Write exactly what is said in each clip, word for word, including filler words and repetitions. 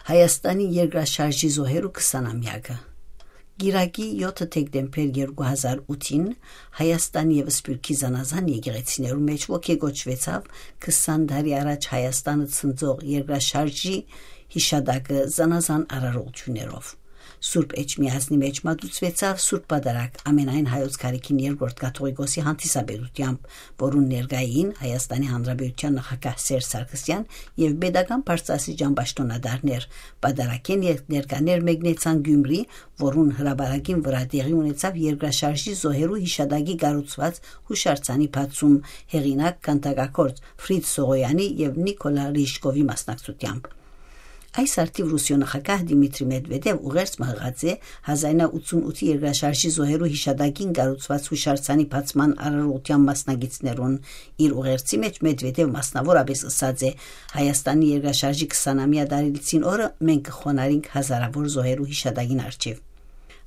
Հայաստանի երկրաշարժի զոհերու քսանամեակը։ Կիրակի յոթը դեկտեմբեր երկու հազար ութին Հայաստանի եւ Սփիւռքի զանազան եկեղեցիներու մէջ ոգեկոչուեցաւ քսան տարի առաջ Հայաստանը ցնցող երկրաշարժի յիշատակը զանազան արարողություններով։ Սուրբ Էջմիածնի մէջ մատուցուեցաւ Սուրբ Պատարագ Ամենայն Հայոց Գարեգին Երկրորդ Կաթողիկոսի հանդիսապետութեամբ, որուն ներկայ էին Հայաստանի Հանրապետութեան նախագահ Սերժ Սարգսեան եւ պետական բարձրաստիճան պաշտօնատարներ։ Պատարագէն ե-, ներկաներ մեկնեցան Գիումրի, որուն հրապարակին վրայ տեղի ունեցաւ երկրաշարժի զոհերու յիշատակի կառուցուած յուշարձանի բացում, հեղինակ քանդակագործ Ֆրիդ Սողոյանի եւ Նիկոլա Ռիժկովի մասնակցությամբ։ Այս արդիւ Ռուսիոյ նախագահ Դիմիտրի Մեդվեդեւ ուղերձ մը յղած է հազար ինը ութսուն ութի երկրաշարժի զոհերու յիշատակին կառուցուած յուշարձանի բացման արարողութեան մասնակիցներուն։ Իր ուղերձի մէջ Մեդվեդեւ մասնաւորապէս ըսած է. «Հայաստանի երկրաշարժի քսանամեայ տարելիցին օրը մենք կը խոնարհենք հազարաւոր զոհերու յիշատակին առջեւ»։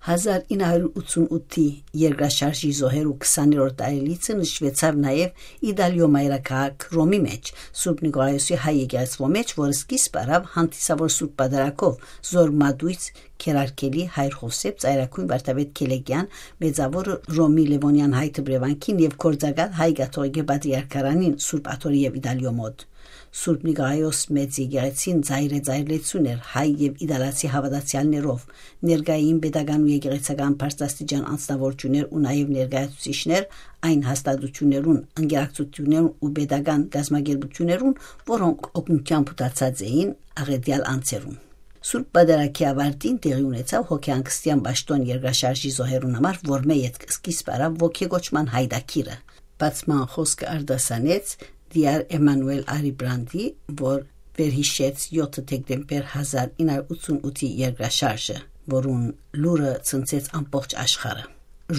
Հազար ինը հարիւր ութսուն ութի երկրաշարժի զոհերու քսաներորդ տարելիցը նշուեցաւ նաեւ Իտալիոյ մայրաքաղաք Ռոմի մէջ, Սուրբ Նիկողայոսի հայ եկեղեցւոյ մէջ, որ սկիզբ առաւ հանդիսաւոր Սուրբ Պատարագով, զոր մատոյց քերարկելի հայր Յովսէփ Ծայրագոյն Վարդապետ Քելեգեան, Մեծաւորը Ռոմի Լեւոնեան հայ դպրեվանքին եւ գործակալ հայ կաթողիկէ պատրիարքարանին Սուրբ Աթոռի եւ Իտալիոյ մօտ։ Սուրբ Նիկողայոս մեծ եկեղեցին ծայրէ ծայրլեցուն էր հայ եւ իտալացի հաւատացեալներով, ներկային պետական ու եկեղեցական բարձրաստիճան անձնաւորութիւններ ու նաեւ ներկայացուցիչներ այն հաստատութիւններուն, ընկերակցութիւններուն ու պետական կազմակերպութիւններուն, որոնք օգնութեամբ յութացած էին աղէտեալ անձերուն։ Սուրբ Պատարագի աւարտին տեղի ունեցաւ հոգեհանգստեան պաշտօն երկրաշարժի զոհերուն համար, որմէ ետք սկիզբ առաւ ոգեկոչման յայտագիրը։ Բացման խօսքը արտասանեց Դիար Էմանուել Արիբրանտի, որ վերհիշեց յոթը դեկտեմբեր հազար ինը հարիւր ութսուն ութի երկրաշարժը, որուն լուրը ցնցեց ամբողջ աշխարհը։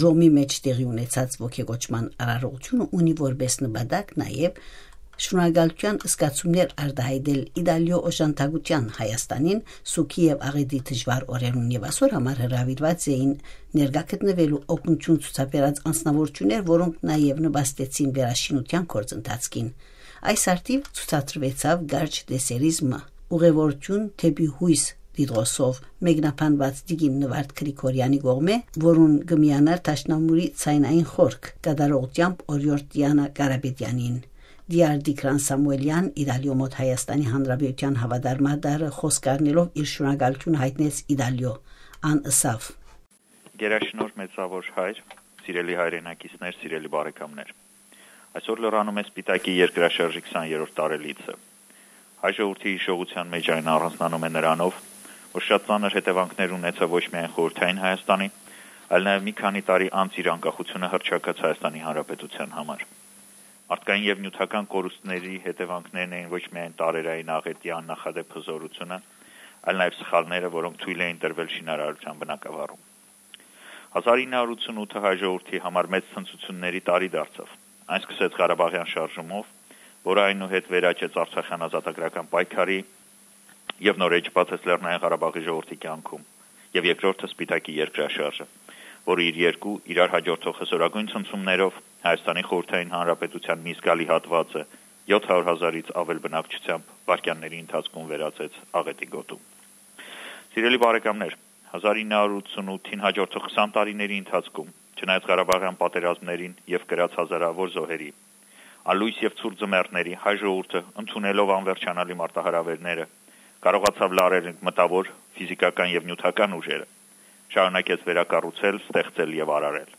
Ռոմի մէջ տեղի ունեցած ոգեկոչման արարողութիւնը ունի որպէս նպատակ նաեւ շնորհակալութեան զգացումներ արտայայտել Իտալիոյ օժանդակութեան Հայաստանին սուգի եւ աղէտի դժուար օրերուն, եւ ասոր համար հրաւիրուած էին ներկայ գտնուելու օգնութիւն ցուցաբերած անձնաւորութիւններ, որոնք նաեւ նպաստեցին վերաշինութեան գործընթացքին։ Այս արդիւ ցուցադրուեցաւ կարճ տեսերիզմը «Ուղևորութիւն դէպի յոյս» տիտղոսով մեկնաբանուած տիկին Նվարդ Գրիգորեանի կողմէ, որուն կը միանար Դաշնամուրի ցայնային խորք կատարողութեամբ օրիորդ Տիանա Կարապետեանին։ Դիար Տիգրան Սամուելեան, Իտալիոյ մօտ Հայաստանի Հանրապետութեան հաւատարմատարը, խօսք առնելով իր շնորհակալութիւնը յայտնեց Իտալիոյ։ Ան ըսաւ. «Գերաշնորհ մեծաւոր հայր, սիրելի հայրենակիցներ, սիրելի բարեկամներ։ Այսօր լրանում է Սպիտակի երկրաշարժի քսաներորդ տարելիցը։ Հայ ժողովրդի հիշողութեան մէջ այն առանձնանում է նրանով, որ շատ ծանր հետեւանքներ ունեցաւ ոչ միայն Խորհրդային Հայաստանի, այլ նաեւ մի քանի տարի անց իր անկախությունը հռչակած Հայաստանի Հանրապետութեան համար։ Մարդկային եւ նիւթական կորուստների հետեւանքներն էին ոչ միայն տարերային աղէտի աննախադէպ հզորությունը, այլ նաեւ սխալները, որոնք թոյլ էին տրվել շինարարութեան բնագաւառում։ Հազար ինը հարիւր ութսուն ութը հայ ժողովրդի համար մեծ ցնծութիւնների տարի դարձաւ։ Այն սկսեց Ղարաբաղեան շարժումով, որը այնուհետ վերաճեց Արցախեան ազատագրական պայքարի եւ նոր էջ բացեց Լեռնային Ղարաբաղի ժողովրդի կյանքում, եւ երկրորդը Սպիտակի երկրաշարժը, որը իր երկու իրար հաջորդող հսորագոյն ցնցումներով Հայաստանի Խորհրդային Հանրապետութեան մի զգալի հատուածը յոթ հարիւր հազարից աւել բնակչութեամբ վայրկեանների ընթացքում վերածեց աղէտի գոտու։ Սիրելի բարեկամներ, հազար ինը հարիւր ութսուն ութին հաջորդող քսան տարիների ընթացքում, չնայած Ղարաբաղեան պատերազմներին եւ կրած հազարաւոր զոհերի, անլոյս եւ ցուրտ ձմեռների, հայ ժողովուրդը, ընդունելով անվերջանալի մարտահրաւէրները, կարողացաւ լարել մտաւոր, ֆիզիքական եւ նիւթական ուժերը, շարունակեց վերակառուցել, ստեղծել եւ արարել։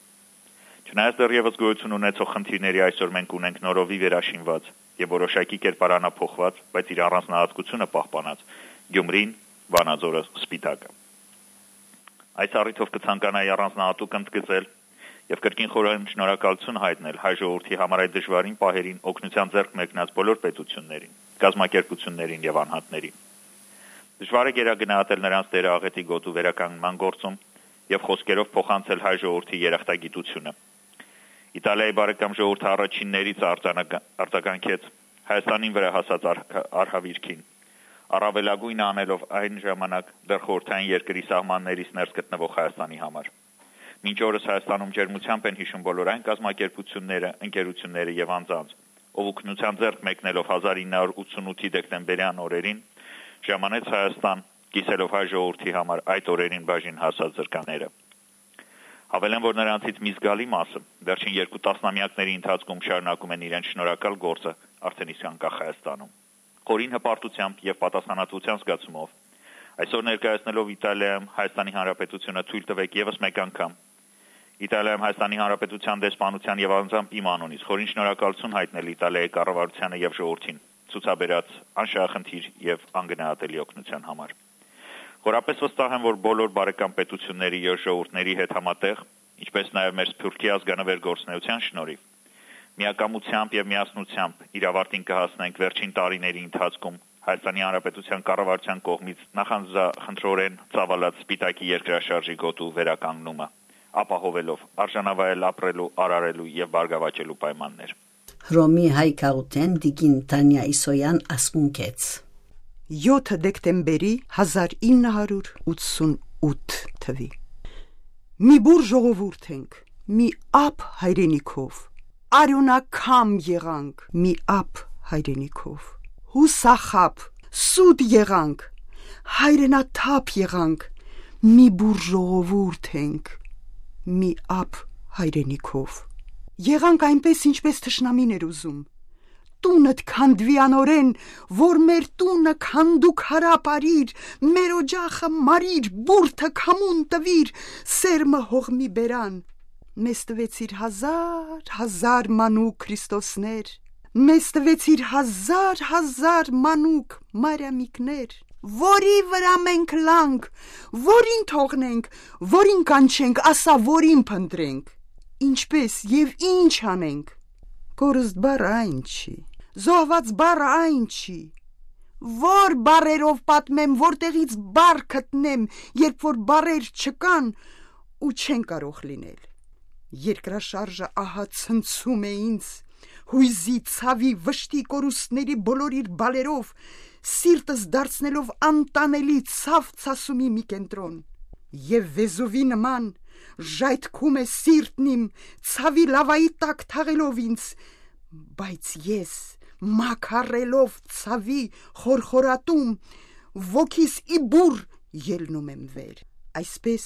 Չնայած դեռեւս գոյություն ունեցող խնդիրների, այսօր մենք ունենք նորովի վերաշինուած եւ որոշակի կերպարանափոխուած, բայց իր առանձնահատկությունը պահպանած Գյումրին, Վանաձորը, Սպիտակը։ Այս առիթով կցանկանայի առանձնահատուկ ընդգծել եւ կրկին խորհրդային շնորհակալութիւն յայտնել հայ ժողովրդի համար այդ դժուարին պահերին օգնութեան ձեռք մեկնած բոլոր պետութիւններին, կազմակերպութիւններին եւ անհատներին։ Դժուար է գերագնահատել նրանց դերը աղէտի գոտու վերականգնման գործում եւ խօսքերով փոխանցել հայ ժողովրդի երախտագիտությունը։ Իտալիայի բարեկամ ժողովուրդը առաջիններից արձանագ-, արձագանքեց Հայաստանին վրա հասած արհ-, արհավիրքին, առավելագույնը անելով այն ժամանակ դեռ խորհրդային երկրի սահմաններից ներս գտնվող Հայաստանի համար։ Մինչ օրս Հայաստանում ջերմությամբ են յիշում բոլոր այն կազմակերպութիւնները, ընկերութիւնները եւ անձանց, ով օգնութեան ձեռք մեկնելով հազար ինը հարիւր ութսուն ութի դեկտեմբերեան օրերին ժամանեց Հայաստան կիսելով հայ ժողովրդի համար այդ օրերին բաժին հասած զրկաները։ Հավելեմ, որ նրանցից մի զգալի մասը վերջին երկու տասնամեակների ընթացքում շարունակում են իրենց շնորհակալ գործը արդեն իսկ անկախ Հայաստանում։ Խորին հպարտությամբ եւ պատասխանատվության զգացումով այսօր ներկայացնելով Իտալիայում Հայաստանի Հանրապետությունը, թոյլ տուէք եւս մեկ անգամ Իտալիայում Հայաստանի Հանրապետության դեսպանության եւ անձամբ իմ անունից խորին շնորհակալություն հայտնել Իտալիայի կառավարությանը եւ ժողովրդին ցուցաբերած անշահախնդիր եւ անգնահատելի օգնության համար։ Խորապես վստահ եմ, որ բոլոր բարեկամ պետությունների եւ ժողովուրդների հետ համատեղ, ինչպես նաեւ մեր Սփիւռքի ազգանուէր գործունեության շնորհիվ, միակամությամբ եւ միասնությամբ իր աւարտին կը հասնենք վերջին տարիների ընթացքում Հայաստանի Հանրապետության կառավարության կողմից նախանձախնդրորեն ծաւալած սպիտակի երկրաշարժի գոտու վերականգնումը, ապահովելով արժանավայել ապրելու, արարելու եւ բարգաւաճելու պայմաններ։ Հռոմի հայ գաղութէն տիկին Թանիա Իսոյան ասմունքեց։ Եօթը դեկտեմբերի հազար ինը հարյուր ութսուն ութ թուի։ Մի բուռ ժողովուրդ ենք, մի ափ հայրենիքով, արիւնակամ եղանք, մի ափ հայրենիքով, յուսախաբ, սուտ եղանք, հայրենաթափ եղանք, մի բուռ ժողովուրդ ենք, մի ափ հայրենիքով։ Եղանք այնպես, ինչպես թշնամին էր ուզում։ Տունդ քանդուի անորեն, որ մեր տունը քանդուկ հարապ արիր, մեր օջախը մարիր, բուրդը քամուն տուիր, սերմը հողմի բերան։ Մեզ տուեցիր հազար, հազար մանուկ Քրիստոսներ, մեզ տուեցիր հազար, հազար մանուկ Մարիամիկներ, որի վրա մենք լանք, որին թողնենք, որին կանչենք, ասա, որին փնտրենք, ինչպես եւ ինչ անենք։ Կորուստ բառը այն չի, զոհված բառը այն չի, որ բառերով պատմեմ, որտեղից բառ գտնեմ, երբ որ բառեր չկան ու չեն կարող լինել։ Երկրաշարժը ահա ցնցում է ինձ, յոյզի, ցաւի, վշտի կորուստների բոլոր իր բալերով, սիրտս դարձնելով անտանելի ցաւ ցասումի մի կենտրոն։ Եւ վեզովի նման ժայթքում է սիրտն իմ, ցաւի լավայի տակ թաղելով ինձ, բայց ես, մաքարելով ցաւի խորխորատում, ոգիս ի բուռ ելնում եմ վեր։ Այսպես,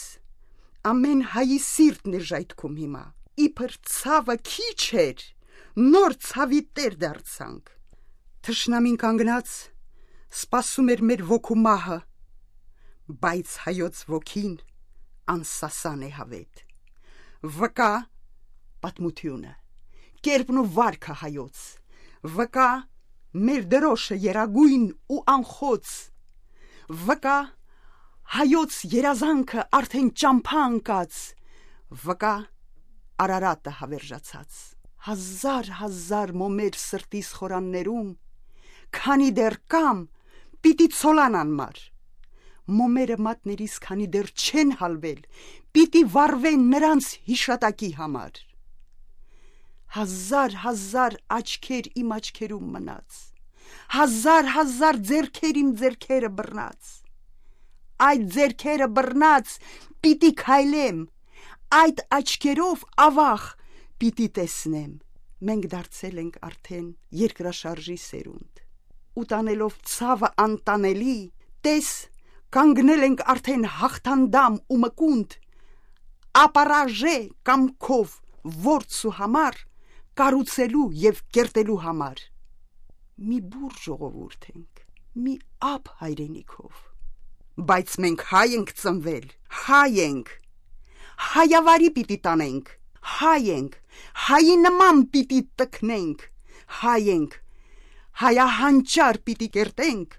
ամեն հայի սիրտն է ժայթքում հիմա, իբր ցաւը քիչ էր, նոր ցաւի տեր դարձանք։ Թշնամին կանգնած սպասում էր մեր ոգու մահը, բայց հայոց ոգին անսասան է, հավետ։ Վկայ պատմությունը, կերպն ու վարքը հայոց, վկայ մեր դրոշը երագույն ու անխոց, վկայ հայոց երազանքը արդեն ճամբայ ընկած, վկայ Արարատը հավերժացած։ Հազար, հազար մոմեր սրտիս խորաններում, քանի դեռ կամ, պիտի ցոլան անմար։ Մոմերը մատներիս քանի դեռ չեն հալվել, պիտի վառվեն նրանց յիշատակի համար։ Հազար, հազար աչքեր իմ աչքերում մնաց, հազար, հազար ձեռքեր իմ ձեռքերը բռնած։ Այդ ձեռքերը բռնած պիտի քայլեմ, այդ աչքերով, ավաղ, պիտի տեսնեմ։ Մենք դարձել ենք արդեն երկրաշարժի սերունդ։ Ու տանելով ցաւը անտանելի, տես, կանգնել ենք արդեն հաղթանդամ ու մկունդ, ապարաժե կամքով, որց ու համար, կառուցելու եւ կերտելու համար։ Մի բուռ ժողովուրդ ենք, մի ափ հայրենիքով։ Բայց մենք հայ ենք ծնվել, հայ ենք։ Հայավարի պիտի տանենք, հայ ենք, հայի նման պիտի տքնենք, հայ ենք, հայահանճար պիտի կերտենք,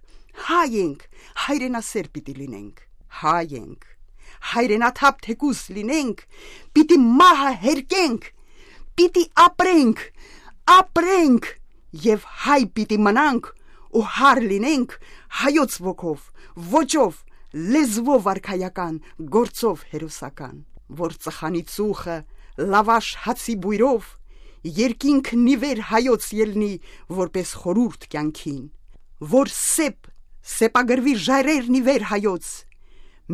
հայ ենք, հայրենասեր պիտի լինենք, հայ ենք, հայրենաթափ թեկուզ լինենք, պիտի մահը հերկենք, պիտի ապրենք, ապրենք եւ հայ պիտի մնանք ու հար լինենք հայոց ոգով, ոճով, լեզվով արքայական, գործով հերոսական, որ ծխանի ծուխը լավաշ հացի բոյրով երկինքն ի վեր հայոց ելնի որպես խորհուրդ կյանքին, որ սեպ, սեպագրվի ժայռերն ի վեր հայոց,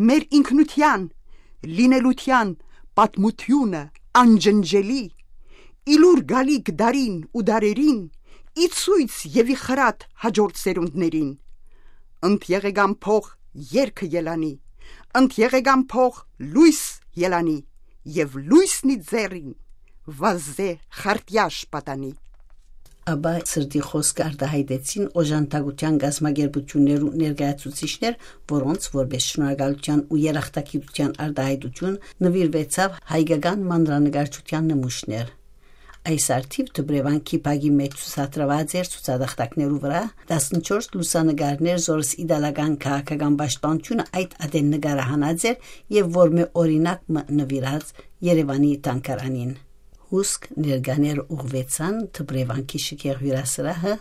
մեր ինքնության, լինելության պատմությունը անջնջելի, ի լուր գալիք դարին ու դարերին, ի ցոյց եւ ի խրատ հաջորդ սերունդներին։ Ընդ եղեգան փող երկը ելանի, ընդ եղեգան փող լոյս ելանի, եւ լոյսնի ձեռին վազե խարտյաշ պատանի»։ Աբա սրտի խօսքը արտահայտեցին օժանդակութեան կազմակերպութիւններու ներկայացուցիչներ, որոնց որպէս շնորհակալութեան ու երախտագիտութեան արտահայտութիւն նուիրուեցաւ հայկական մանրանկարչութեան նմուշներ։ Այս առթիւ Դպրեվանքի բակի մէջ ցուցադրուած էր ցուցատախտակներու վրայ տասնչորս լուսանկարներ, զորս իտալական քաղաքական պաշտպանութիւնը այդ ատեն նկարահանած էր եւ որմէ օրինակ մը նուիրած Երեւանի թանգարանին։ Հուսկ ներկաներ ուղղուեցան Դպրեվանքի շքեղ հիւրասրահը,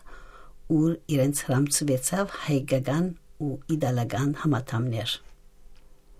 ուր իրենց հրամցուեցաւ հայկական ու իտալական համադամներ։